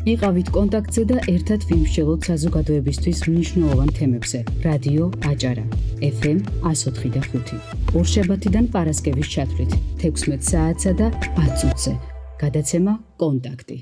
იყავით კონტაქტზე და ერთად ვიმსჯელოთ საზოგადოებისთვის მნიშვნელოვან თემებზე. რადიო აჭარა, FM 104.5. ორშაბათიდან პარასკევის ჩათვლით 16 საათსა და 10 წუთზე. გადაცემა კონტაქტი.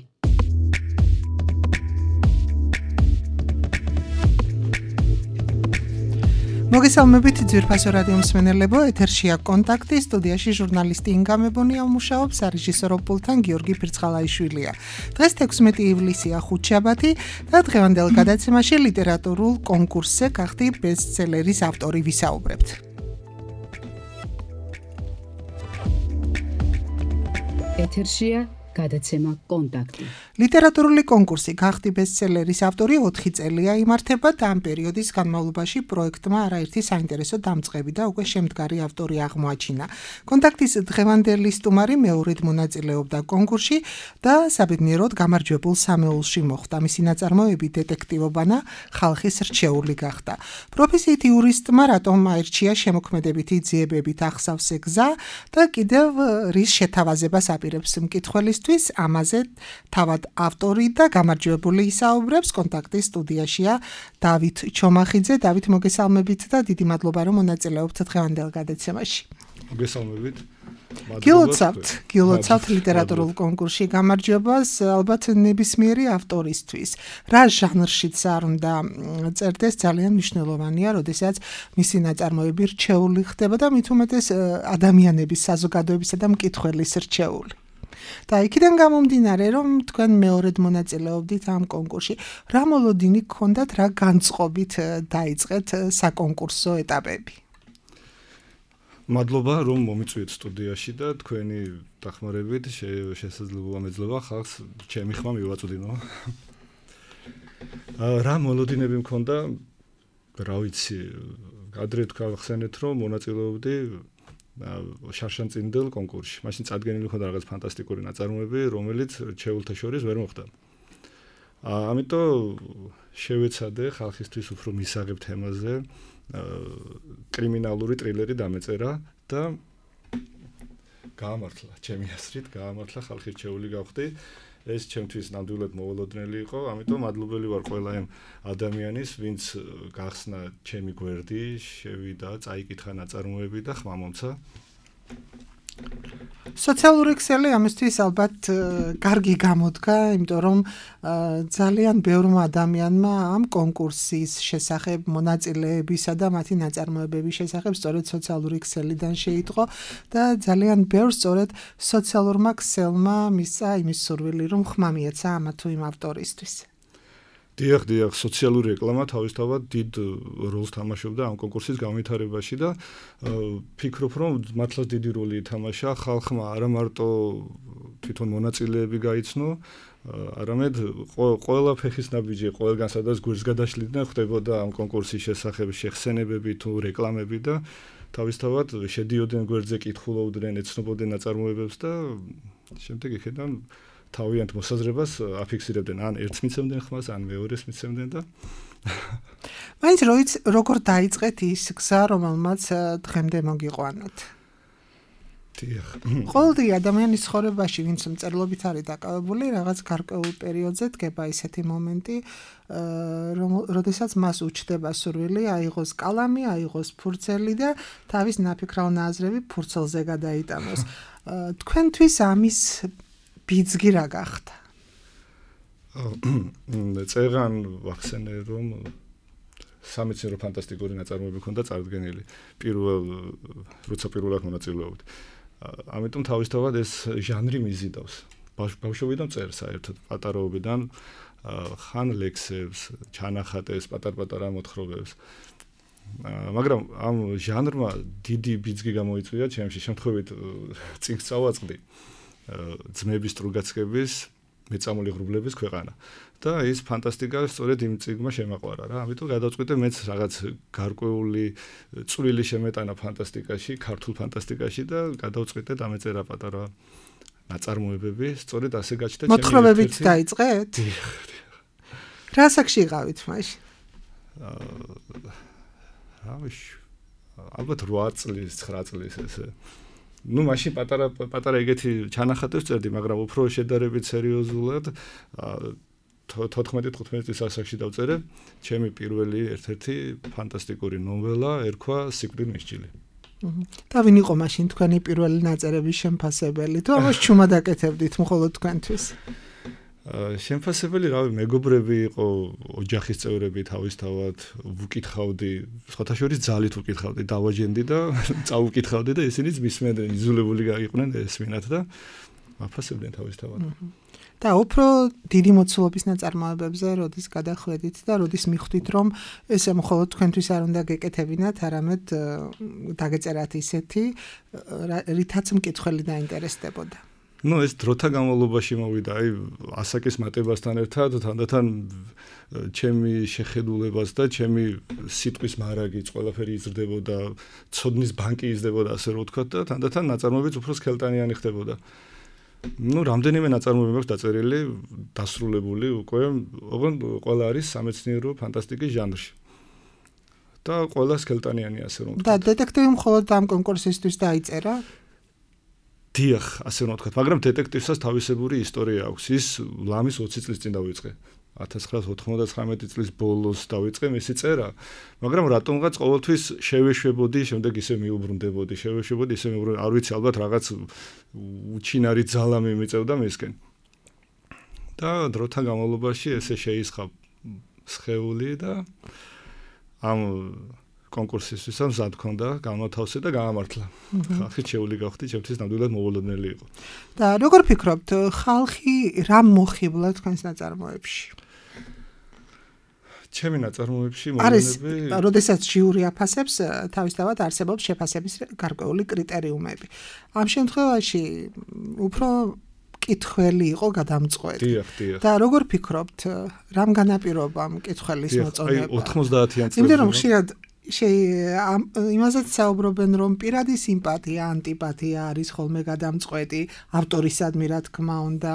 მოგესალმებით ძვირფასო რადიო მსმენელებო, ეთერშია კონტაქტი, სტუდიაში ჟურნალისტი ინგა მებონია მუშაობს, რეჟისორო პულტთან გიორგი ფირცხალაიშვილია. დღეს 16 ივლისია ხუთშაბათი და დღევანდელ გადაცემაში ლიტერატურულ კონკურსზე გახდი ბესტსელერის ავტორი ვისაუბრებთ. ეთერშია გადაცემა კონტაქტი. ლიტერატურული კონკურსი გახდი ბესტსელერის ავტორი 4 წელია იმართება და ამ პერიოდის განმავლობაში პროექტმა არაერთი საინტერესო დამწყები და უკვე შემდგარი ავტორი აღმოაჩინა. კონტაქტის დღევანდელი სტუმარი მეორედ მონაწილეობდა კონკურსში და საბედნიეროდ გამარჯვებულ სამეულში მოხვდა. მისი ნაწარმოები დეტექტივობანა ხალხის რჩეული გახდა. პროფესიით იურისტმა რატომ აირჩია შემოქმედებითი ძიებებით ახსავს გზა და კიდევ რის შეთავაზებას აპირებს მკითხველისთვის, ამაზე თავად ავტორი და გამარჯვებული ისაუბრებს. კონტაქტის სტუდიაშია დავით ჩომახიძე. დავით, მოგესალმებით და დიდი მადლობა რომ მონაწილეობთ დღევანდელ გადაცემაში. მოგესალმებით. გილოცავთ ლიტერატურულ კონკურსში გამარჯვებას ალბათ ნებისმიერი ავტორისთვის. რა ჟანრშიც არ უნდა წერდეს, ძალიან მნიშვნელოვანია, როდესაც მისი ნაწარმოები რჩეული ხდება და მით უმეტეს ადამიანების, საზოგადოებისა და მკითხველის რჩეული. და იქიდან გამომდინარე, რომ თქვენ მეორედ მონაწილეობდით ამ კონკურსში, რა მოლოდინი გქონდათ, რა განწყობით დაიწყეთ საკონკურსო ეტაპები? მადლობა, რომ მომიწვიეთ სტუდიაში და თქვენი დახმარებით შესაძლოა ამეძლევა ხალხს ჩემი ხმა მივაწვდინო. რა მოლოდინები მქონდა, რა ვიცი, ადრე თქვახსენეთ, რომ მონაწილეობდი შარშანწინდელ კონკურსში. მაშინ წარდგენილი ხონდა რაღაც ფანტასტიკური ნაწარმოები, რომელიც რჩეულთა შორის ვერ მოხვდა. ამიტომ შევეცადე ხალხისთვის უფრო მისაღებ თემაზე კრიმინალური ტრილერი დამეწერა და გაამართლა, ჩემი აზრით, ხალხი რჩეული გავხდი. ეს ჩემთვის ნამდვილად მოულოდნელი იყო, ამიტომ მადლობელი ვარ ყველა იმ ადამიანის, ვინც გახსნა ჩემი გვერდი, შევიდა, წაიკითხა ნაწარმოები და ხმა მომცა. სოციალური ქსელი ამისთვის ალბათ კარგი გამოდგა, იმიტომ რომ ძალიან ბევრმა ადამიანმა ამ კონკურსის შესახებ, მონაწილეებისა და მათი ნაწარმოებების შესახებ სწორედ სოციალური ქსელიდან შეიტყო და ძალიან ბევრს სწორედ სოციალურმა ქსელმა მისცა იმის სურვილი, რომ ხმა მიეცა ამა თუ იმ ავტორისთვის. დიახ, სოციალური რეკლამა თავისთავად დიდ როლს თამაშობდა ამ კონკურსის განვითარებაში და ფიქრობ, რომ მართლაც დიდი როლი ითამაშა ხალხმა არა მარტო თვითონ მონაწილეები გაიცნო, არამედ ყველა ფეხის ნაბიჯი, ყველგან სადაც გვერდს გადაშლიდნენ, ხდებოდა ამ კონკურსის შესახებ შეხსენებები თუ რეკლამები და თავისთავად შედიოდნენ გვერდზე, კითხულობდნენ, ეცნობოდნენ ნაწარმოებებს და შემდეგ იქიდან თავიანთ მოსაზრებას აფიქსირებდნენ, ან ერთს მიცემდნენ ხმას, ან მეორეს მიცემდნენ და მაინც როგორ დაიწყეთ ის გზა, რომელმაც დღემდე მოგიყვანოთ? დიახ. ყოველდღე ადამიანის ცხოვრებაში, ვინც მწერლობით არის დაკავებული, რაღაც გარკვეულ პერიოდზე დგება ისეთი მომენტი, როდესაც მას უჩნდება სურვილი აიღოს კალამი, აიღოს ფურცელი და თავის ნაფიქრალ ნაზრები ფურცელზე გადაიტანოს. თქვენთვის ამის ბიძგი რა გახდა? წერან ვახსენე, რომ სამეცნიერო ფანტასტიკური ნაწარმოები ჰქონდა წარდგენილი. როცა პირველად მონაწილეობდი. ამიტომ თავისთავად ეს ჟანრი მიზიდავს. ბავშვობიდან წერ საერთოდ, პატარაობიდან ხან ლექსებს, ჩანახატებს, პატარ-პატარა მოთხრობებს. მაგრამ ამ ჟანრმა დიდი ბიძგი გამოიწვია ჩემში, შემთხვევით წიგნს წავაწყდი. ძმების სტრუგაცკების მეწამული ღრუბლების ქვეყანა და ის ფანტასტიკა სწორედ იმ წიგნმა შემაყვარა რა. ამიტომ გადავწყვიტე მეც რაღაც გარკვეული წვლილი შემეტანა ფანტასტიკაში, ქართულ ფანტასტიკაში და გადავწყვიტე დამეწერა პატარა ნაწარმოებები, სწორედ ასე გაჩნდა ჩემი მოთხრობებით დაიწყეთ? რა საკში იყავით მაშინ? ალბათ 8 წლის, 9 წლის ესე. მაშინ პატარა ეგეთი ჩანახატებს წერდი, მაგრამ უფრო შედარებით სერიოზულად 14-15 წლის ასაკში დავწერე ჩემი პირველი ერთ-ერთი ფანტასტიკური ნოველა ერქვა სიკვდილის მისჯილი. და ვინ იყო მაშინ თქვენი პირველი ნაწერების შემფასებელი? თუ ამას ჩუმად აკეთებდით მხოლოდ თქვენთვის? შემფასებელი რავი მეგობრები იყო, ოჯახის წევრები თავისთავად ვუკითხავდი, სხვათა შორის ძალით ვუკითხავდი, დავაჯენდი და წავუკითხავდი და ისინიც მისმენდნენ, იძულებული იყვნენ ესმინათ და აფასებდნენ თავისთავად. და უფრო დიდი მოცულობის ნაწარმოებებზე როდის გადახვედით და როდის მიხვდით რომ ესე მხოლოდ თქვენთვის არ უნდა გეკეთებინათ, არამედ დაგეწერათ ისეთი, რითაც მკითხველი დაინტერესდებოდა. ეს დროთა განმავლობაში მოვიდა, ასაკის მატებასთან ერთად, თანდათან ჩემი შეხედულებას და ჩემი სიტყვის მარაგიც ყველაფერი იზრდებოდა, ცოდნის ბანკი იზრდებოდა, ასე რომ ვთქვათ და თანდათან ნაწარმოებიც უფრო სქელტანიანი ხდებოდა. რამდენიმე ნაწარმოები მაქვს დაწერილი, დასრულებული უკვე, ოღონდ ყველა არის სამეცნიერო ფანტასტიკის ჟანრში. და ყველა სქელტანიანი, ასე რომ ვთქვათ. და დეტექტივი მხოლოდ ამ კონკურსისთვის დაიწერა? დიახ, ასე რომ ვთქვათ, მაგრამ დეტექტივსაც თავისებური ისტორია აქვს. ის ლამის 20 წლის წინ დავიწყე. 1999 წლის ბოლოს დავიწყე მისი წერა, მაგრამ რატომღაც ყოველთვის შევეშვებოდი, შემდეგ ისე მიუბრუნდებოდი, არ ვიცი, ალბათ რაღაც უჩინარი ძალა მიმიწევდა მისკენ. და დროთა განმავლობაში ესე შეისხა სხეული და ამ კონკურსისთვის მზად მქონდა, განმათავსე და გაამართლა. ხალხი შეეული გავხდი, ჩემთვის ნამდვილად მოულოდნელი იყო. და როგორ ფიქრობთ, ხალხი რა მოხიბლა თქვენს ნაწარმოებში? ჩემი ნაწარმოებში მოვლენები, როდესაც ჟიური აფასებს, თავისთავად არსებობს შეფასების გარკვეული კრიტერიუმები. ამ შემთხვევაში უფრო მკითხველი იყო გადამწყვეტი. დიახ. და როგორ ფიქრობთ, რამ განაპირობა მკითხველის მოწონება? 90-იან წლებში. იმიტომ რომ ხშირად იმასაც საუბრობენ, რომ პირადი სიმპათია, ანტიპათია არის ხოლმე გადამწყვეტი ავტორისადმი, რა თქმა უნდა,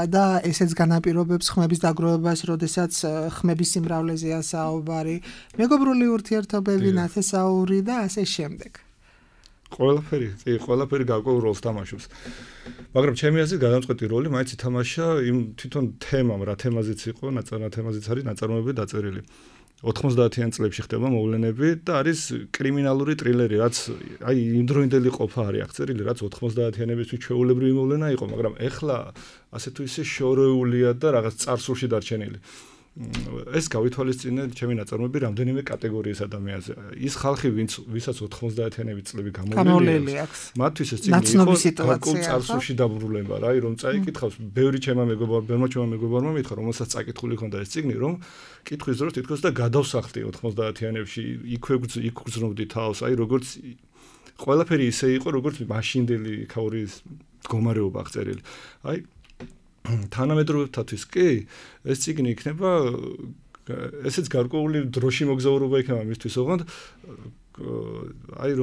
და ესეც განაპირობებს ხმების დაგროვებას, როდესაც ხმების სიმრავლეზეა საუბარი, მეგობრული ურთიერთობები, ნათესაური და ასე შემდეგ. ყველაფერი გარკვეულ როლს თამაშობს. მაგრამ ჩემი აზრით გადამწყვეტი როლი მაინც ითამაშა იმ თვითონ თემამ, რა თემაზეც იყო, თემაზეც არის ნაწარმოები დაწერილი. 90-იან წლებში ხდება მოვლენები და არის კრიმინალური ტრილერი, რაც იმდროინდელი ყოფა არის აღწერილი, რაც 90-იანებისთვის ჩვეულებრივი მოვლენა იყო, მაგრამ ეხლა ასე თუ ისე შორეულია და რაღაც წარსულში დარჩენილი. ეს გავითვალისწინე ჩემი ნაწარმოები რამდენიმე კატეგორიის ადამიანზე. ის ხალხი, ვისაც 90-იანების წლები გამოვლენილი აქვს, მათთვის ეს წიგნი იყო გარკვეულ წარსულში დაბრუნება, რომ წაიკითხავს, ბევრი ჩემმა მეგობარმა მითხრა, რომელსაც წაკითხული ჰქონდა ეს წიგნი, რომ კითხვის დროს თითქოს და გადავსახლდი 90-იანებში, იქ გრძნობდი თავს, როგორც ყველაფერი ისე იყო, როგორც მაშინდელი ქაურის მდგომარეობა აღწერილი. თანამედროვეებთათვის კი ეს წიგნი იქნება ესეც გარკვეული დროში მოგზაურობა იქნება მისთვის, ოღონდ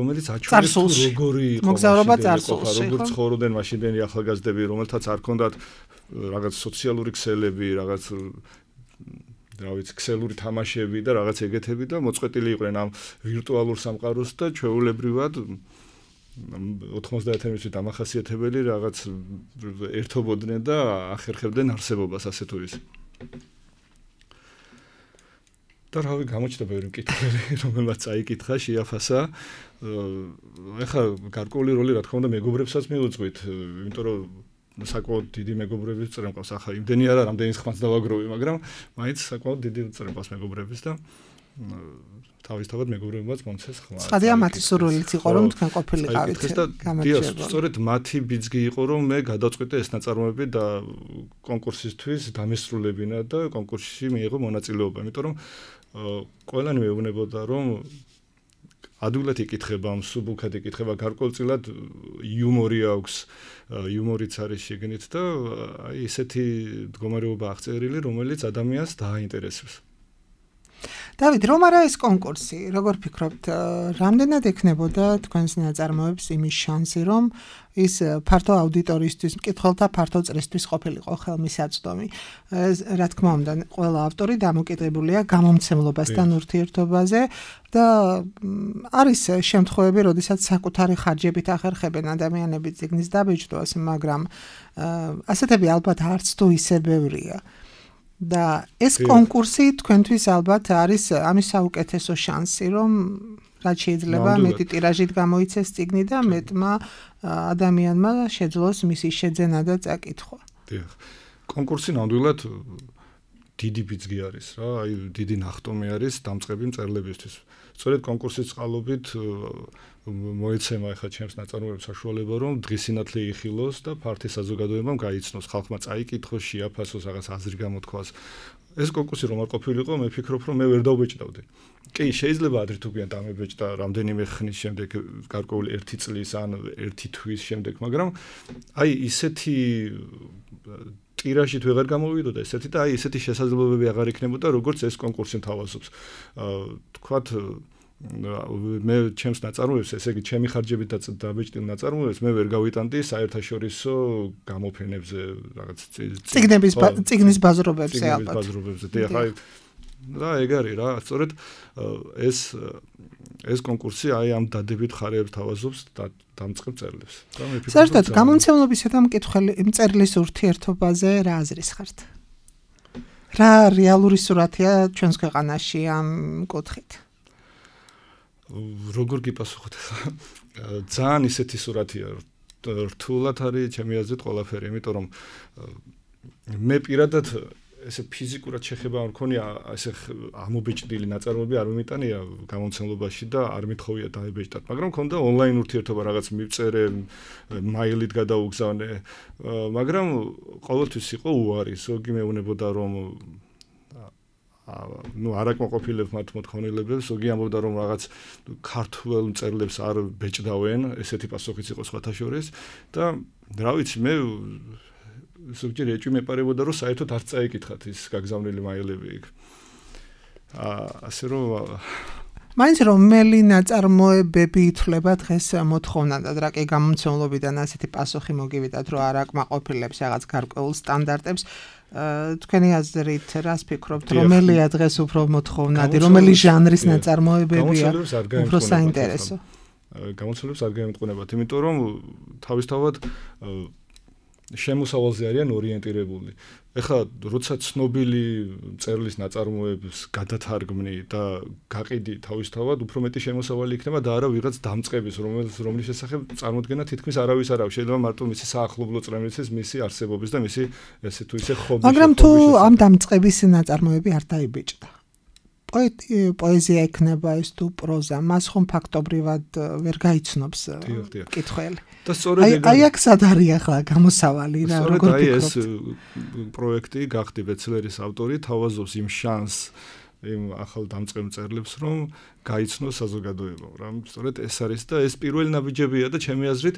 რომელიც აჩვენებს როგორი იყო მოგზაურობა წარსულში, როგორ ცხოვრობდნენ მაშინდელი ახალგაზრდები, რომელთაც არ ჰქონდათ რაღაც სოციალური ქსელები, რაღაც ქსელური თამაშები და რაღაც ეგეთები და მოწყვეტილი იყვნენ ამ ვირტუალურ სამყაროს და ჩვეულებრივად 90-იანებში დამახასიათებელი რაღაც ერთობოდნენ და ახერხებდნენ არსებობას, ასე თუ ისე. და რავი, გამოჩნდა ბევრი მკითხველი, რომელმაც წაიკითხა, შეაფასა. ეხლა გარკვეული როლი, რა თქმა უნდა, მეგობრებსაც მიუძღვით, იმიტომ რომ საკმაოდ დიდი მეგობრების წრე მყავს. ახლა იმდენი არა, რამდენი ხმაც დავაგროვი, მაგრამ მაინც საკმაოდ დიდი წრე მყავს მეგობრების და თავისთავად მეგობრებმაც მომცეს ხმა. ცხადია მათი სურვილიც იყო, რომ თქვენ ყოფილიყავით. გამარჯობა. სწორედ მათი ბიძგი იყო, რომ მე გადავწყვიტე ეს ნაწარმოები და კონკურსისთვის დამესრულებინა და კონკურსში მიიღო მონაწილეობა. იმიტომ რომ ყველანი მეუბნებოდა, რომ ადვილად იკითხება, მსუბუქად იკითხება, გარკვეულწილად იუმორი აქვს, იუმორიც არის შეგნით და ისეთი მდგომარეობა აღწერილი, რომელიც ადამიანს დააინტერესებს. დავით, რომ არა ეს კონკურსი, როგორ ფიქრობთ, რამდენად ექნებოდა თქვენს ნაწარმოებს იმის შანსი, რომ ის ფართო აუდიტორიისთვის, მკითხველთა ფართო წრისთვის ყოფილიყო ხელმისაწვდომი? რა თქმა უნდა, ყველა ავტორი დამოკიდებულია გამომცემლობასთან ურთიერთობაზე და არის შემთხვევები, როდესაც საკუთარი ხარჯებით ახერხებენ ადამიანები წიგნის დაბეჭდვას, მაგრამ ასეთები ალბათ არც თუ ისე ბევრია. და ეს კონკურსი თქვენთვის ალბათ არის ამის საუკეთესო შანსი, რომ რაც შეიძლება მეტი ტირაჟით გამოიცეს წიგნი და მეტმა ადამიანმა შეძლოს მისი შეძენა და წაკითხვა. დიახ. კონკურსი ნამდვილად დიდი ბიძგი არის რა, აი დიდი ნახტომი არის დამწყები მწერლებისთვის. სწორედ კონკურსის წყალობით მოეცემა ახლა ჩემს ნაწარმოებებს საშუალება, რომ დღისინათლე იხილოს და ფართი საზოგადოებამ გაიცნოს, ხალხმა წაიკითხოს, შეაფასოს, რაღაც აზრი გამოთქვას. ეს კონკურსი რომ არ ყოფილიყო, მე ვფიქრობ, რომ მე ვერ დავბეჭდავდი. კი, შეიძლება ადრე თუ გვიან დამებეჭდა რამდენიმე ხნის შემდეგ, გარკვეული 1 წლის ან 1 თვის შემდეგ, მაგრამ აი ისეთი ტირაჟით ვეღარ გამოვიდოდა ესეთი და აი ესეთი შესაძლებლობები აღარ იქნებოდა, როგორც ეს კონკურსი მთავაზობს. თქვათ მე ჩემს ნაწარმოებს, ესე იგი ჩემი ხარჯებით დაბეჭდილ ნაწარმოებს მე ვერ გავიტანდი საერთაშორისო გამოფენებზე, რაღაც წიგნის ბაზრობებზე ალბათ. ბაზრობებზე. და ეგ არის რა, სწორედ ეს კონკურსი აი ამ დადებით ხარებს თავაზობს დამწყებ წერლებს. საერთოდ გამომცემლობისა და მწერლის ურთიერთობაზე რა აზრის ხართ? რა რეალური სურათია ჩვენს ქვეყანაში ამ კუთხით? როგორ გიპასუხოთ ხა? ძალიან ისეთი სურათია, რთულად არის ჩემი აზრით ყველაფერი, იმიტომ რომ მე პირადად ესე ფიზიკურად შეხება არ მქონია, ესე ამობეჭდილი ნაწარმოები არ მიმიტანია გამომცემლობაში და არ მithოვია დაებეჭდათ, მაგრამ მქონდა ონლაინ ურთიერთობა, რაღაც მივწერე, მაილით გადაუგზავნე, მაგრამ ყოველთვის იყო უარი, ზოგი მეუბნებოდა რომ არ აკმაყოფილებ მათ მოთხოვნილებებს, ზოგი ამბობდა რომ რაღაც ქართულ მწერლებს არ ბეჭდავენ, ესეთი პასუხიც იყო სხვათა შორის და რა ვიცი მე ზოგჯერ ეჭვი მეპარებოდა რომ საერთოდ არ წაიკითხათ ის გაგზავნილი მაილები იქ. ასე რომ მაინც რომელი ნაწარმოებები ითვლება დღეს მოთხოვნადად, რა კი გამომცემლობიდან ასეთი პასუხი მოგივიდათ, რომ არ აკმაყოფილებს რაღაც გარკვეულ სტანდარტებს. თქვენი აზრით რას ფიქრობთ, რომელია დღეს უფრო მოთხოვნადი, რომელი ჟანრის ნაწარმოებებია უფრო საინტერესო? გამოცდილებს არ გაემტყუნებათ, იმიტომ რომ თავისთავად შემოსავალზე არიან ორიენტირებული. ეხლა როცა ცნობილი მწერლის ნაწარმოებს გადათარგმნი და გაყიდი თავისთავად, უფრო მეტი შემოსავალი იქნება და არა ვიღაც დამწყების, რომლის შესახებ წარმოდგენა თითქმის არავის არ აქვს. შეიძლება მარტო მისი საახლობლო წრემლიცის, მისი არსებობის და მისი ესე თუ ისე ხობის. მაგრამ თუ ამ დამწყების ნაწარმოები არ დაიბეჭდა. პოეზია იქნება ეს თუ პროზა, მას ხომ ფაქტობრივად ვერ გაიცნობს მკითხველი. და სწორედ აი აქ სად არის ახლა გამოსავალი რა, როგორ ფიქრობთ? აი ეს პროექტი გახდი ბეცლერის ავტორი, თავაზობს იმ შანსს იმ ახალ დამწყებ მწერლებს, რომ გაიცნოს საზოგადოებამ, რა. სწორედ ეს არის და ეს პირველი ნაბიჯებია და ჩემი აზრით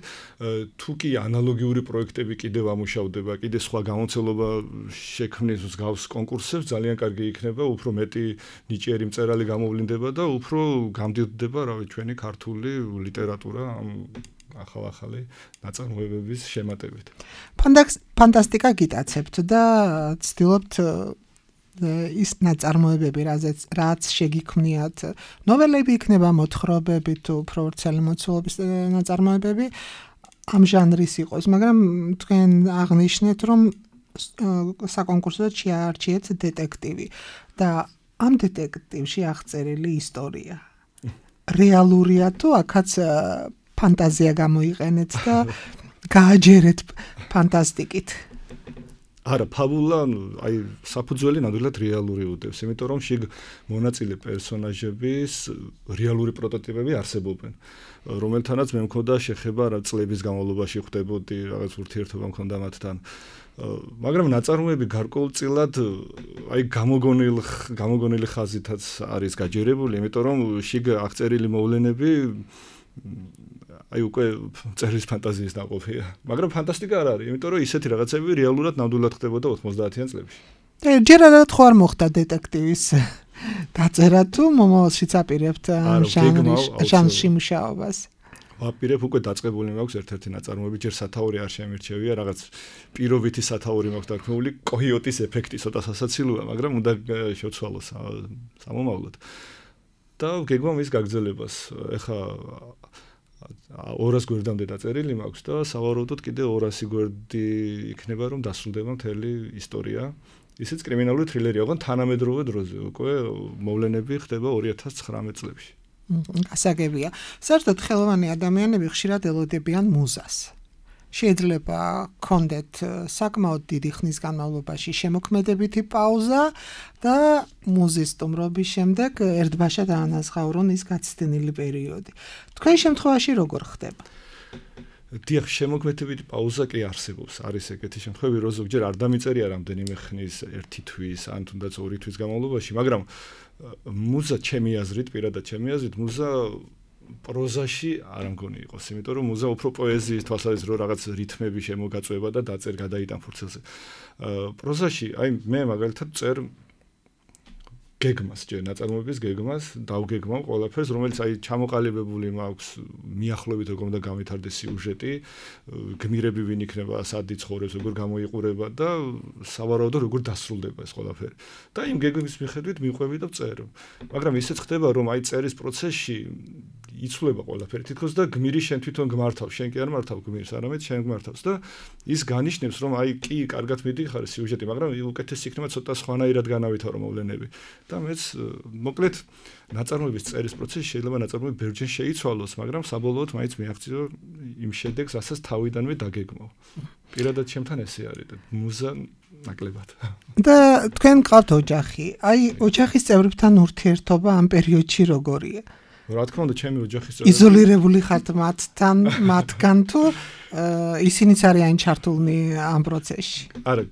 თუ კი ანალოგიური პროექტები კიდევ ამუშავდება, კიდე სხვა გამოცდილება შექმნის მსგავს კონკურსებს, ძალიან კარგი იქნება, უფრო მეტი ნიჭიერი მწერალი გამოვლინდება და უფრო გამდიდდება, რავი, ჩვენი ქართული ლიტერატურა ამ ახალ-ახალი ნაწარმოებების შემატებით. ფანტასტიკა გიტაცებთ და ცდილობთ ის ნაწარმოებები, რაც შეგიქმნიათ, ნოველები იქნება, მოთხრობები თუ უფრო ვრცელი მოცულობის ნაწარმოებები ამ ჟანრის იყოს, მაგრამ თქვენ აღნიშნეთ, რომ საკონკურსოდ შეარჩიეთ დეტექტივი და ამ დეტექტივში აღწერილი ისტორია რეალურია თუ აქაც ფანტაზია გამოიყენეთ და გააჯერეთ ფანტასტიკით? არა, ფაბულა, აი, საფუძველი ნამდვილად რეალური უდევს, იმიტომ რომ შიგ მონაწილე პერსონაჟების რეალური პროტოტიპები არსებობენ, რომელთანაც მე მქონდა შეხება რა წლების განმავლობაში ხვდებოდი, რაღაც ურთიერთობა მქონდა მათთან. მაგრამ ნაწარმოები გარკვეულწილად აი გამოგონილი ხაზითაც არის გაჯერებული, იმიტომ რომ შიგ აღწერილი მოვლენები აი უკვე წერის ფანტაზიის ნაყოფია. მაგრამ ფანტასტიკა არ არის, იმიტომ რომ ისეთი რაღაცები რეალურად ნამდვილად ხდებოდა 90-იან წლებში. ჯერადად ხო არ მოხდა დეტექტივის დაწერა თუ მომავალშიც აპირებთ ჟანრში მუშაობას? ვაპირებ, უკვე დაწყებული მაქვს ერთ-ერთი ნაწარმოები, ჯერ სათაური არ შემირჩევია, რაღაც პირობითი სათაური მაქვს დარქმეული, კოიოტის ეფექტი ცოტა სასაცილოა, მაგრამ უნდა შევცვალო სამომავლოდ. და გეგმავ ის გაგრძელებას. ეხა 200 გვერდამდე დაწერილი მაქვს და სავარაუდოდ კიდე 200 გვერდი იქნება, რომ დასრულდება მთელი ისტორია ისიც კრიმინალური თრილერი, ოღონდ თანამედროვე დროზე, უკვე მოვლენები ხდება 2019 წლებში. გასაგებია. საერთოდ ხელოვანი ადამიანები ხშირად ელოდებიან მუზას. შეიძლება კონდეთ საკმაოდ დიდი ხნის განმავლობაში შემოქმედებითი პაუზა და მუზის სტუმრობის შემდეგ ერთბაშად დაანაზღაურონ ის გაცდენილი პერიოდი. თქვენ შემთხვევაში როგორ ხდება? დიახ, შემოქმედებითი პაუზა კი არსებობს. არის ეგეთი შემთხვევები, რომ ზოგჯერ არ დამიწერია რამდენიმე ხნის, 1 თვის, ან თუნდაც 2 თვის განმავლობაში, მაგრამ მუზა ჩემი აზრით, პირადად ჩემი აზრით, მუზა პროზაში არ მგონი იყოს, იმიტომ რომ მუზა უფრო პოეზიის თვალსაზრისით რომ რაღაც რითმები შემოგაწვება და დაწერ გადაიტან ფურცელზე. პროზაში, აი მე მაგალითად წერ გეგმას, ჯერ ნაწარმოების გეგმას, დავგეგმავ ყველაფერს, რომელიც აი ჩამოყალიბებული მაქვს მიახლოებით როგორ უნდა გამეთარდეს სიუჟეტი, გმირები ვინ იქნება, სად იცხოვრებს, როგორ გამოიყურება და სავარაუდოდ როგორ დასრულდება ეს ყველაფერი. და იმ გეგმის მიხედვით მივყვები და ვწერ. მაგრამ ისეც ხდება, რომ აი წერის პროცესში იცვლება ყველაფერი თითქოს და გმირი შენ თვითონ გმართავს, შენ კი არ მართავ გმირს, არამედ შენ გმართავს და ის განიშნებს, რომ აი კი კარგად მიდიხარ სიუჟეტი, მაგრამ უკეთესი იქნება ცოტა სხვანაირად განავითარო მოვლენები. და მეც მოკლედ ნაწარმოების წერის პროცესში შეიძლება ნაწარმოები ბევრჯერ შეიცვალოს, მაგრამ საბოლოოდ მაინც მიაღწიო იმ შედეგს, რასაც თავიდანვე დაგეგმავ. პირადად ჩემთან ესე არის და მუზა ნაკლებად. და თქვენ გყავთ ოჯახი. აი ოჯახის წევრებთან ურთიერთობა ამ პერიოდში როგორია? რა თქმა უნდა, ჩემი ოჯახის წევრები იზოლირებული ხართ მათგან თუ ისინიც არიან ჩართულნი ამ პროცესში? არა,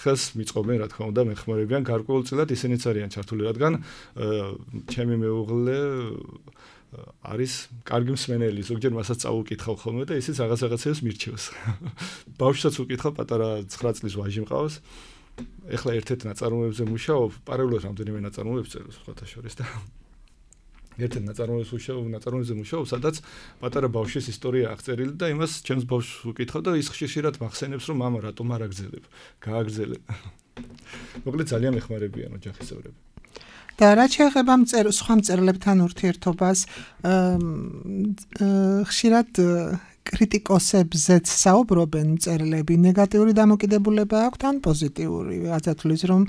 ხელს მიწყობენ, რა თქმა უნდა, მეხმარებიან გარკვეულწილად ისინიც არიან ჩართული, რადგან ჩემი მეუღლე არის კარგი მსმენელი, ზოგჯერ მასაც წაუკითხავ ხოლმე და ისიც რაღაცებს მირჩევს. ბავშვსაც უკითხავ, პატარა 9 წლის ვაჟი მყავს. ეხლა ერთ-ერთ ნაწარმოებზე მუშაობ, პარალელურად რამდენიმე ნაწარმოებს წერს სხვათა შორის და ერთ-ერთ ნაწარმოებზე მუშაობ, სადაც პატარა ბავშვის ისტორია აღწერილი და იმას ჩემს ბავშვს ვუკითხავ და ის ხშირად მახსენებს, რომ მამა რატომ არ აგზელებ? გააგზელე. მოკლედ ძალიან მეხმარებიან ოჯახის წევრები. და რა შეეხება სხვა მწერლებთან ურთიერთობას, ხშირად კრიტიკოსებზეც საუბრობენ მწერლები, ნეგატიური დამოკიდებულება აქვთ ან პოზიტიური? რასაც თulis რომ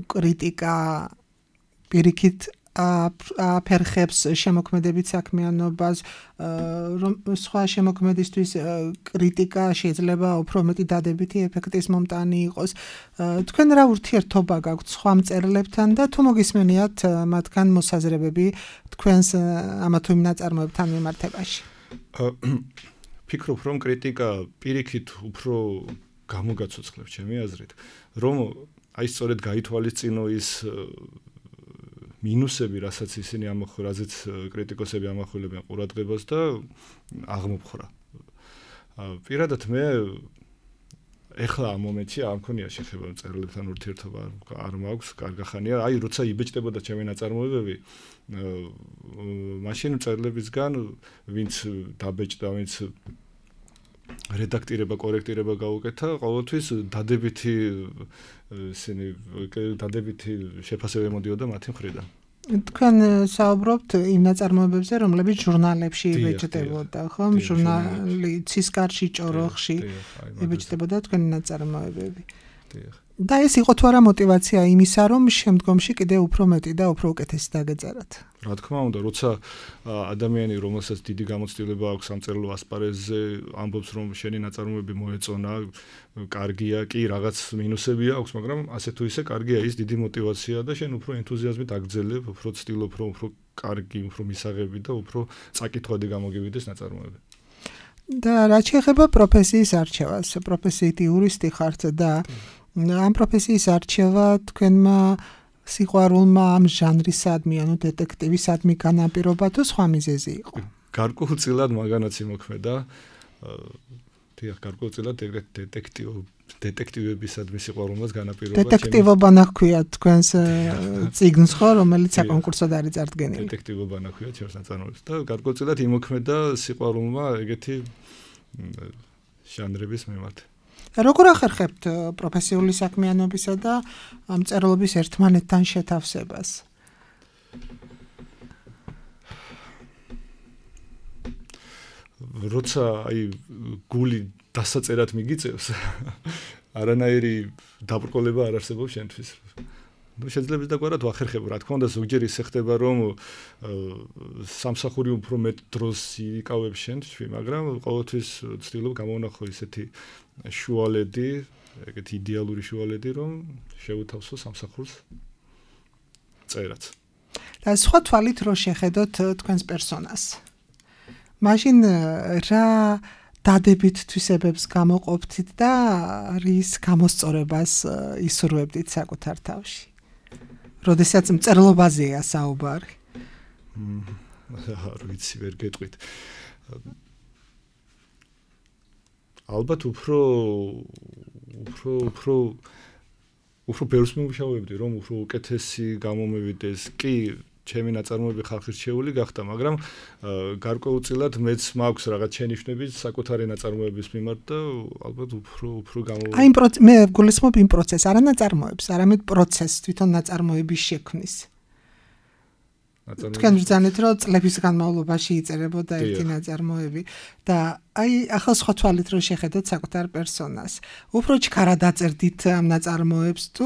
კრიტიკა პირიქით აფერხებს შემოქმედებით საქმიანობას, რომ სხვა შემოქმედისთვის კრიტიკა შეიძლება უფრო მეტი დადებითი ეფექტის მომტანი იყოს. თქვენ რა ურთიერთობა გაქვთ სხვა მწერლებთან და თუ მოგისმენიათ მათგან მოსაზრებები თქვენს ამა თუ იმ ნაწარმოებთან მიმართებაში? ფიქრობ, რომ კრიტიკა პირიქით უფრო გამოგაცოცხლებს ჩემი აზრით, რომ აი სწორედ გაითვალისწინო ის მინუსები, რასაც ისინი რაზეც კრიტიკოსები ამახვილებენ ყურადღებას და აღმოფხრა. პირადად მე ეხლა ამ მომენტში არ მქონია შეხება მწერლებთან ურთიერთობა, არ მაქვს კარგახანია. აი როცა იბეჭდებოდა ჩემი ნაწარმოებები, მაშინ მწერლებისგან ვინც დაბეჭდა, ვინც რედაქტირება, კორექტირება გაუკეთა, ყოველთვის დადებითი შეფასება მოდიოდა მათი მხრიდან. თქვენ საუბრობთ იმ ნაწარმოებებზე, რომლებიც ჟურნალებში იბეჭდებოდა, ხო? ჟურნალი ცისკარში, ჭოროხში იბეჭდებოდა თქვენი ნაწარმოებები. და ეს იყო თუ არა мотиваცია იმისა, რომ შემდგომში კიდე უფრო მეტი და უფრო უკეთესი დაგეწერათ? რა თქმა უნდა, როცა ადამიანი, რომელსაც დიდი გამოცდილება აქვს სამწერლო ასპარეზზე, ამბობს, რომ შენი ნაწარმოები მოეწონა, კარგია, კი, რაღაც მინუსები აქვს, მაგრამ ასე თუ ისე კარგია, ის დიდი мотиваცია და შენ უფრო ენთუზიაზმით აგრძელებ, უფრო ცდილობ, რომ უფრო კარგი, უფრო მისაღები და უფრო წაკითხვადი გამოგივიდეს ნაწარმოები. და რა შეეხება პროფესიის არჩევას, პროფესიით იურისტი ხართ და ამ პროფესიის არჩევა თქვენმა სიყვარულმა ამ ჟანრისადმი, ანუ დეტექტივისადმი განაპირობა თუ სხვა მიზეზი იყო? გარკვეულწილად მაგანაც იმოქმედა. დიახ, გარკვეულწილად დეტექტივებისადმი სიყვარულმაც განაპირობა. დეტექტივობანა ჰქვია თქვენს წიგნს, ხო, რომელიც საკონკურსოდ არის წარდგენილი? დეტექტივობანა ჰქვია ჩემს ნაწარმოებს და გარკვეულწილად იმოქმედა სიყვარულმა ეგეთი ჟანრების მიმართ. როგორ ახერხებთ პროფესიული საქმიანობისა და მწერლობის ერთმანეთთან შეთავსებას? როცა აი გული დასაწერად მიგიწევს, არანაირი დაბრკოლება არ არსებობს შენთვის. შეიძლება დაგვარად ვახერხებ, რა თქმა უნდა, ზოგჯერ ისე ხდება, რომ სამსახური უფრო მეტ დროს იკავებს შენთვის, მაგრამ ყოველთვის ვცდილობ გამოვნახო ისეთი შუალედი, ეგეთი იდეალური შუალედი, რომ შევთავსო სამსახურს წერაც. და სხვა თვალით რო შეხედოთ თქვენს პერსონას. მაშინ რა დადებით თვისებებს გამოყოფთით და რის გამოსწორებას ისურვებდით საკუთარ თავში? როდესაც მწერლობაზეა საუბარი. არ ვიცი, ვერ გეტყვით. ალბათ უფრო ბევრს მივშავებდი, რომ უფრო უკეთესი გამომევიდეს. კი, ჩემი ნაწარმოები ხალხის რჩეული გახდა, მაგრამ გარკვეულწილად მეც მაქვს რაღაც შენიშვნები საკუთარი ნაწარმოების მიმართ და ალბათ უფრო აი მე გულისხმობ იმ პროცესს, არა ნაწარმოებს, არამედ პროცესს თვითონ ნაწარმოების შექმნის. თქვენ ბრძანეთ, რომ წლების განმავლობაში იწერებოდა ერთი ნაწარმოები და აი ახლა სხვა თვალით რო შეხედოთ საკუთარ პერსონას. უფრო ჩქარა დაწერდით ამ ნაწარმოებს თუ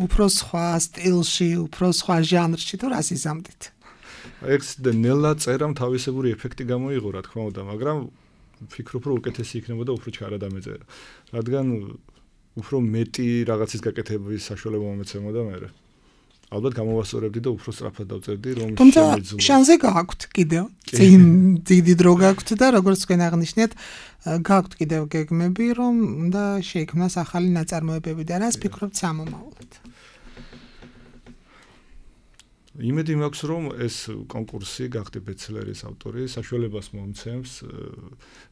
უფრო სხვა სტილში, უფრო სხვა ჟანრში თუ რას იზამთით? ეს ნელა წერამ თავისებური ეფექტი გამოიღო, რა თქმა უნდა, მაგრამ ვფიქრობ, რომ უკეთესი იქნებოდა უფრო ჩქარა დამეწერა. რადგან უფრო მეტი რაღაცის გაკეთების საშუალება მომეცემოდა მე. ალბათ გამოვასწორებდი და უფრო სწრაფად დავწერდი, რომ შემეძლო. შანსი გააქვთ კიდევ. წინ დიდი დრო გააქვთ და როგორც თქვენ აღნიშნეთ, გააქვთ კიდევ გეგმები, რომ უნდა შეიქმნას ახალი ნაწარმოებები და რას ფიქრობთ სამომავლოდ? იმედი მაქვს, რომ ეს კონკურსი გახდი ბესტსელერის ავტორი, საშუალებას მომცემს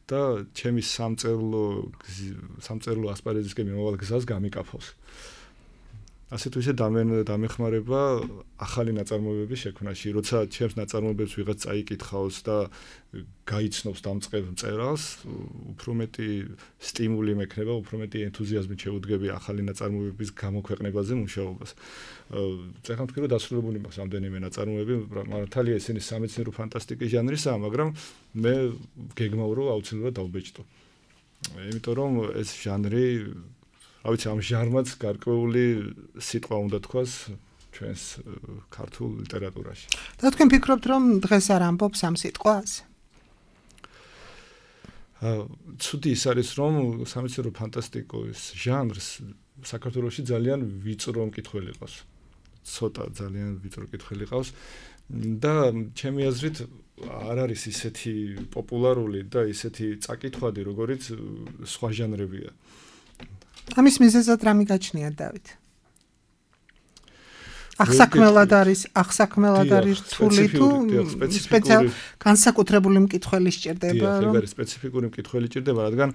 და ჩემი სამწერლო ასპარეზისკენ მიმავალ გზას გამიკაფავს. ასე თუ ისე დამეხმარება ახალი ნაწარმოებების შექმნაში, როცა ჩემს ნაწარმოებებს ვიღაც წაიკითხავს და გაიცნობს დამწყებ მწერალს, უფრო მეტი სტიმული მექნება, უფრო მეტი ენთუზიაზმით შევუდგები ახალი ნაწარმოებების გამოქვეყნებაზე მუშაობას. ეხლა ვთქვი, რომ დასრულებული მაქვს რამდენიმე ნაწარმოები, მართალია ისინი სამეცნიერო ფანტასტიკის ჟანრისაა, მაგრამ მე გეგმავ რომ აუცილებლად დავბეჭდო. იმიტომ რომ ეს ჟანრი ავიცი ამ ჟანრმაც გარკვეული სიტყვა უნდა თქვას ჩვენს ქართულ ლიტერატურაში. და თქვენ ფიქრობთ, რომ დღეს არ ამბობს ამ სიტყვას? ცუდი ის არის, რომ სამეცნიერო ფანტასტიკის ჟანრს საქართველოში ძალიან ვიწრო მკითხველი ყავს. ცოტა ძალიან ვიწრო მკითხველი ყავს და ჩემი აზრით არ არის ისეთი პოპულარული და ისეთი წაკითხვადი, როგორიც სხვა ჟანრებია. ამის მიზეზად რა მიგაჩნიათ, დავით? ახსაქმელად არის რთული თუ სპეციალ განსაკუთრებული მკითხველი სჭირდება, რომ ეგ არის სპეციფიკური მკითხველი სჭირდება, რადგან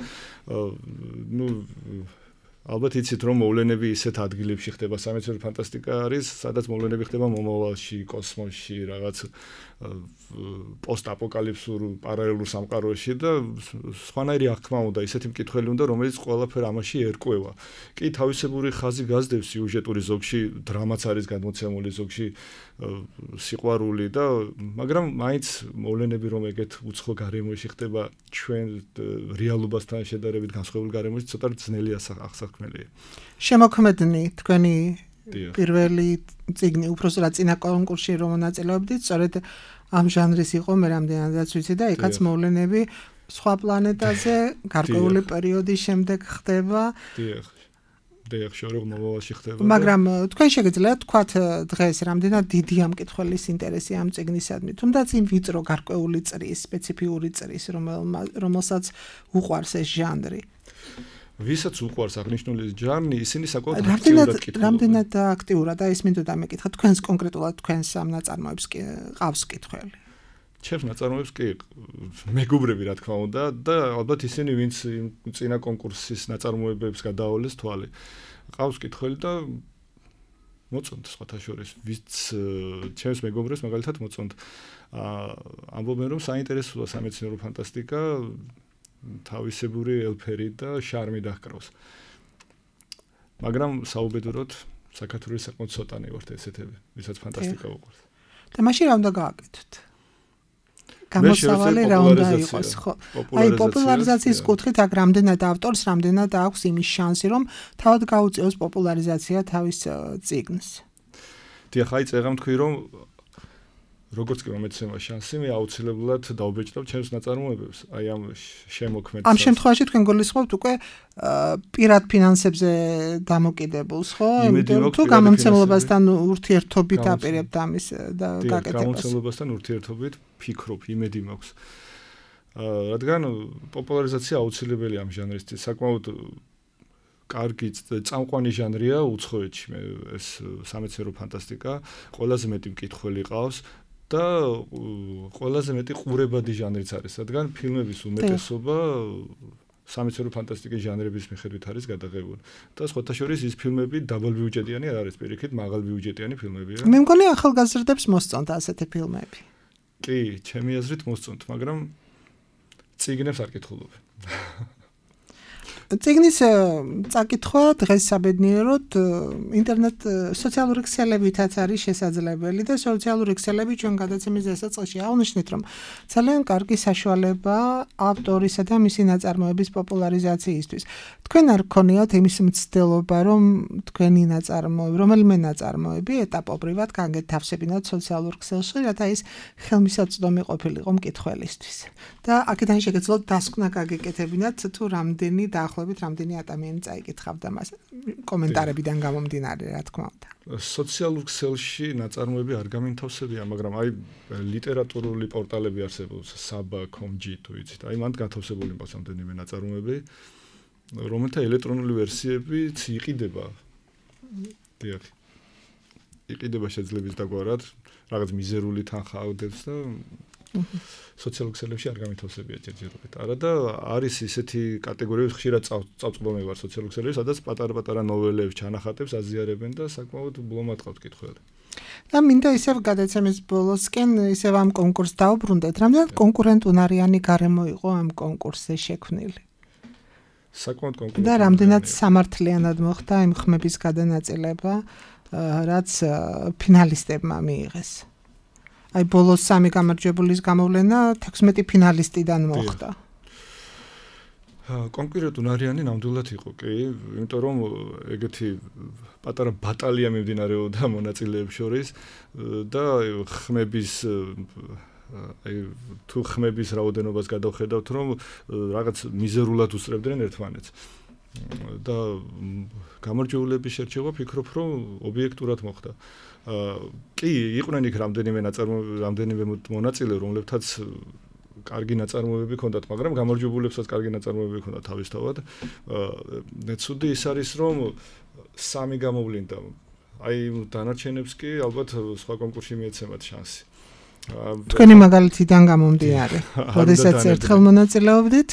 ალბათ იცით, რომ მოვლენები ისეთ ადგილებში ხდება, სამეცნიერო ფანტასტიკა არის, სადაც მოვლენები ხდება მომავალში, კოსმოსში, რაღაც პოსტაპოკალიფსურ პარალელურ სამყაროში და სხვანაირი აღქმა უნდა, ისეთი მკითხველი უნდა, რომელიც ყველაფერ ამაში ერკვევა. კი, თავისებური ხაზი გასდევს სიუჟეტური, ზოგში დრამაც არის გადმოცემული, ზოგში სიყვარული და მაგრამ მაინც მოვლენები რომ ეგეთ უცხო გარემოში ხდება ჩვენ რეალობასთან შედარებით განსხვავებული გარემოში ცოტა ძნელი აღსაქმელია. შემოქმედნი თქვენი პირველი წიგნი უბრალოდ წინა კონკურსში რომ მონაწილეობდით, სწორედ ამ ჟანრის იყო, მე რამდენადაც ვიცი და ეკაც მოვლენები სხვა პლანეტაზე გარკვეული პერიოდის შემდეგ ხდება. მაგრამ თქვენ შეგიძლიათ თქვათ დღეს რამდენად დიდი ამ კითხველის ინტერესი ამ წიგნისადმი, თუმცა იმ ვიწრო გარკვეული წრის, სპეციფიური წრის, რომელსაც უყვარს ეს ჟანრი. ვისაც უყვარს აღნიშნული ჟანრი, ისინი საკმაოდ აქტიურად კითხულობენ. რამდენად აქტიურად და ის მინდოდა მეკითხა თქვენს კონკრეტულად თქვენს ამ ნაწარმოებს ყავს კითხველი. ჩემს ნაწარმოებს კი მეგობრები რა თქმა უნდა და ალბათ ისინი ვინც წინა კონკურსის ნაწარმოებებს გადაავლეს თვალი. ყავს კითხველი და მოწონთ სხვათა შორის ვინც ჩემს მეგობრებს მაგალითად მოწონთ. ამბობენ რომ საინტერესოა სამეცნიერო ფანტასტიკა, თავისებური ელფერი და შარმი დაჰკრავს. მაგრამ საუბედუროდ საქართველოს საკმაოდ ცოტანი ვართ ესეთები, ვისაც ფანტასტიკა უყვარს. და მაშინ რა უნდა გააკეთოთ? გამოსავალი რა უნდა იყოს, ხო? აი პოპულარიზაციის კუთხით აქ რამდენად ავტორს, რამდენად აქვს იმის შანსი, რომ თავად გაუწიოს პოპულარიზაცია თავის წიგნს. დიახ, აი წეგამ თქვი, რომ როგორც კი მომეცემა შანსი, მე აუცილებლად დავბეჭდავ ჩემს ნაწარმოებებს. აი ამ შემოქმედს. ამ შემთხვევაში თქვენ გულისხმობთ უკვე პირად ფინანსებზე დამოკიდებულს, ხო? იმიტომ თუ გამომცემლობასთან ურთიერთობით აპირებთ ამის გაკეთებას. გამომცემლობასთან ურთიერთობით ფიქრობ, იმედი მაქვს. რადგან პოპულარიზაცია აუცილებელია ამ ჟანრისთვის, საკმაოდ კარგი წამყვანი ჟანრია უცხოეთში, ეს სამეცნიერო ფანტასტიკა, ყველაზე მეტი მკითხველი ყავს და ყველაზე მეტი ყურებადი ჟანრიც არის, რადგან ფილმების უმეტესობა სამეცნიერო ფანტასტიკის ჟანრების მიხედვით არის გადაღებული. და სხვათა შორის ის ფილმები დაბალბიუჯეტიანი არ არის, პირიქით მაღალბიუჯეტიანი ფილმებია. მე მგონი ახალგაზრდებს მოსწონთ ასეთი ფილმები. კი, ჩემი აზრით მოსწონთ, მაგრამ წიგნებს არ კითხულობენ. წიგნის წაკითხვა დღეს საბედნიეროდ ინტერნეტ სოციალური ქსელებითაც არის შესაძლებელი და სოციალური ქსელები ჩვენ გადაცემის დასაწყისში აღნიშნეთ, რომ ძალიან კარგი საშუალება ავტორისა და მისი ნაწარმოების პოპულარიზაციისთვის. თქვენ არ გქონიათ იმის მცდელობა, რომ თქვენი ნაწარმოები, რომელიმე ნაწარმოები ეტაპობრივად გაგეთავსებინათ სოციალურ ქსელში, რათა ის ხელმისაწვდომი ყოფილიყო მკითხველისთვის. და აქედან შეგეძლოთ დასკვნა გაგეკეთებინათ თუ რამდენი დაახლოებით რამდენი ადამიანი წაიკითხავდა მას კომენტარებიდან გამომდინარე, რა თქმა უნდა. სოციალურ ქსელში ნაწარმოები არ გამინთავსებია, მაგრამ აი ლიტერატურული პორტალები არსებობს, saba.com.g თუ იცით. აი მანდ გათავსებული მაქვს რამდენიმე ნაწარმოები, რომელთა ელექტრონული ვერსიებიც იყიდება. დიახ. იყიდება შეძლების დაგვარად, რაღაც მიზერული თანხა ავდებს და სოციალურ ქსელებში არ გამინთავსებია ჯერჯერობით. არა და არის ისეთი კატეგორიები, ხშირად წავწყობამე ვარ სოციალურ ქსელებში, სადაც პატარ-პატარა ნოველებს, ჩანახატებს აზიარებენ და საკმაოდ ბლომად ყავთ კითხველი. და მინდა ისევ გადაცემის ბოლოსკენ ისევ ამ კონკურსს დავუბრუნდეთ. რამდენად კონკურენტუნარიანი გარემო იყო ამ კონკურსზე შექმნილი? საკმაოდ კონკურენტული. და რამდენად სამართლიანად მოხდა იმ ხმების გადანაწილება, რაც ფინალისტებმა მიიღეს? აი ბოლოს 3 გამარჯვებულის გამოვლენა 16 ფინალისტიდან მოხდა. კონკურენტუნარიანი ნამდვილად იყო, კი, იმიტომ რომ ეგეთი პატარა ბატალია მიმდინარეობდა მონაწილეებს შორის და ხმების აი თუ ხმების რაოდენობას გადავხედავთ, რომ რაღაც მიზერულად უსწრებდნენ ერთმანეთს. და გამარჯვებულების შერჩევა ფიქრობ, რომ ობიექტურად მოხდა. კი, იყვნენ იქ რამდენიმე მონაწილე, რომლებთაც კარგი ნაწარმოებები ჰქონდათ, მაგრამ გამარჯვებულებსაც კარგი ნაწარმოებები ჰქონდათ თავისთავად. ცუდი ის არის, რომ 3 გამოვლინდა. აი დანარჩენებს კი ალბათ სხვა კონკურსში მიეცემათ შანსი. თქვენი მაგალითიდან გამომდინარე, როდესაც ერთხელ მონაწილეობდით,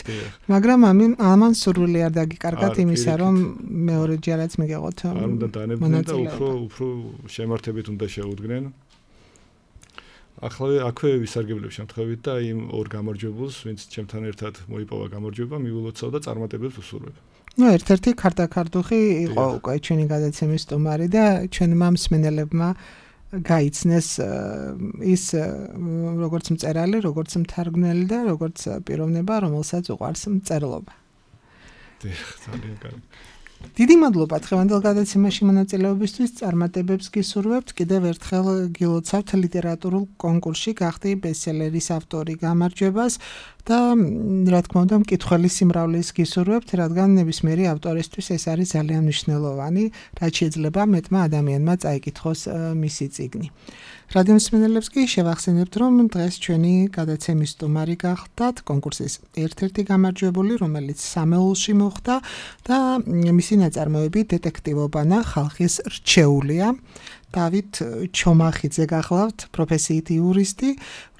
მაგრამ ამან სურვილი არ დაგიკარგათ იმისა, რომ მეორეჯერაც მიგეღოთ. არ უნდა დანებდნენ და უფრო შემართებით უნდა შეუდგნენ. აქვე ვისარგებლებ შემთხვევით და იმ ორ გამარჯვებულს, ვინც ჩემთან ერთად მოიპოვა გამარჯვება, მიულოცავ და წარმატებებს ვუსურვებ. ერთ-ერთი ქარდაქარდუხი იყო უკვე ჩვენი გადაცემის სტუმარი და ჩვენმა მსმენელებმა გაიცნეს ის როგორც მწერალი, როგორც მთარგმნელი და როგორც პიროვნება, რომელსაც უყვარს მწერლობა. ძალიან კარგი. დიდი მადლობა დღევანდელ გადაცემაში მონაწილეობისთვის, წარმატებებს გისურვებთ. კიდევ ერთხელ გილოცავთ ლიტერატურულ კონკურსში გახდი ბესტსელერის ავტორი გამარჯვებას და რა თქმა უნდა მკითხველის სიმრავლის გისურვებთ, რადგან ნებისმიერი ავტორისთვის ეს არის ძალიან მნიშვნელოვანი, რაც შეიძლება მეტმა ადამიანმა წაიკითხოს მისი წიგნი. რადიო მსმენელებს კი შევახსენებთ, რომ დღეს ჩვენი გადაცემის სტუმარი გახდათ კონკურსის ერთ-ერთი გამარჯვებული, რომელიც სამეულში მოხდა და მისი ნაწარმოები დეტექტივობანა ხალხის რჩეულია. დავით ჩომახიძე გახლავთ, პროფესიით იურისტი,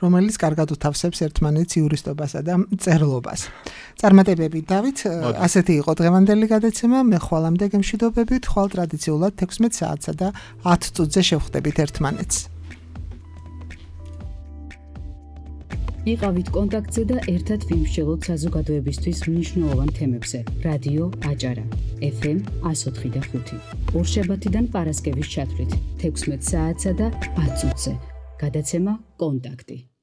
რომელიც კარგად უთავსებს ერთმანეთს იურისტობასა და მწერლობას. წარმატებები დავით, ასეთი იყო დღევანდელი გადაცემა. მე ხვალამდე გემშვიდობებით, ხვალ ტრადიციულად 16 საათსა და 10 წუთზე შევხვდებით ერთმანეთს. იყავით კონტაქტზე და ერთად ვიმსჯელოთ საზოგადოებისთვის მნიშვნელოვან თემებზე. რადიო აჭარა, FM 104.5. ორშაბათიდან პარასკევის ჩათვლით 16 საათსა და 10 წუთზე. გადაცემა კონტაქტი.